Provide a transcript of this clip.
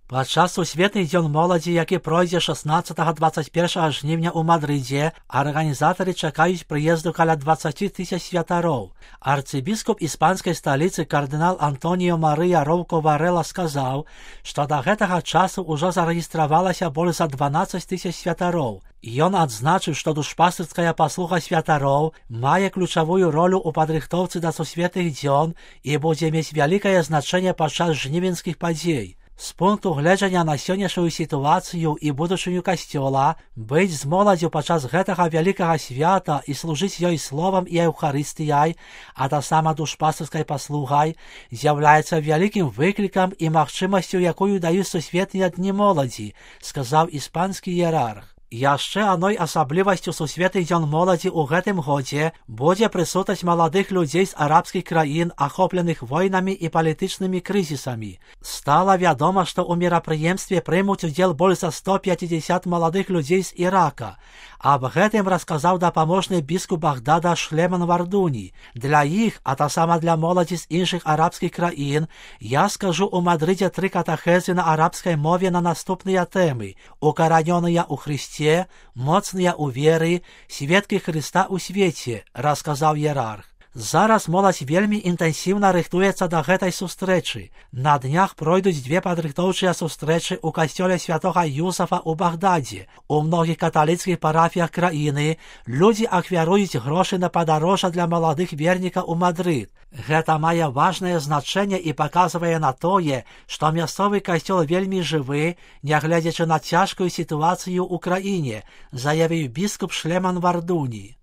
Падчас Сусветных дзён моладзі, які пройдзе 16-21 жніўня ў Мадрыдзе, арганізатары чакаюць прыезду каля 20 тысяч святароў. Арцыбіскуп іспанскай сталіцы кардынал Антоніо Марыя Роўко Варэла сказаў, што да гэтага часу ўжо зарэгістравалася больш за 12 тысяч святароў. Ён адзначыў, што душпастырская паслуга святароў мае ключавую ролю ў падрыхтоўцы да Сусветных дзён і будзе мець вялікае значэнне падчас жнівеньскіх падзей. З пункту гледжання на сённяшнюю сітуацыю і будучыню касцёла, быць з моладзю падчас гэтага вялікага свята і служыць ёй словам і еўхарыстыяй, а таксама душпастырскай паслугай, з'яўляецца вялікім выклікам і магчымасцю, якую даюць Сусветныя дні моладзі, сказаў іспанскі іерарх. Яшчэ адной асаблівасцю Сусветных дзён моладзі ў гэтым годзе будзе прысутнасць маладых людзей з арабскіх краін, ахопленых войнамі і палітычнымі крызісамі. Стала вядома, што ў мерапрыемстве прымуць удзел больш за 150 маладых людзей з Ірака. Аб гэтым расказаў дапаможны біскуп Багдада Шлеман Вардуні. Для іх, а таксама для моладзі з іншых арабскіх краін, я скажу ў Мадрыдзе 3 катэхезы на арабскай мове на наступныя тэмы: укаранёныя ў Хрысце, моцныя ў веры, сведкі Хрыста ў свеце, расказаў іерарх. Зараз моладзь вельмі інтэнсіўна рыхтуецца да гэтай сустрэчы. На днях пройдуць 2 падрыхтоўчыя сустрэчы ў касцёле святога Юсафа ў Багдадзе. У многіх каталіцкіх парафіях краіны людзі ахвяруюць грошы на падарожжа для маладых вернікаў у Мадрыд. Гэта мае важнае значэнне і паказвае на тое, што мясцовы касцёл вельмі жывы, нягледзячы на цяжкую сітуацыю ў краіне, заявіў біскуп Шлеман Вардуні.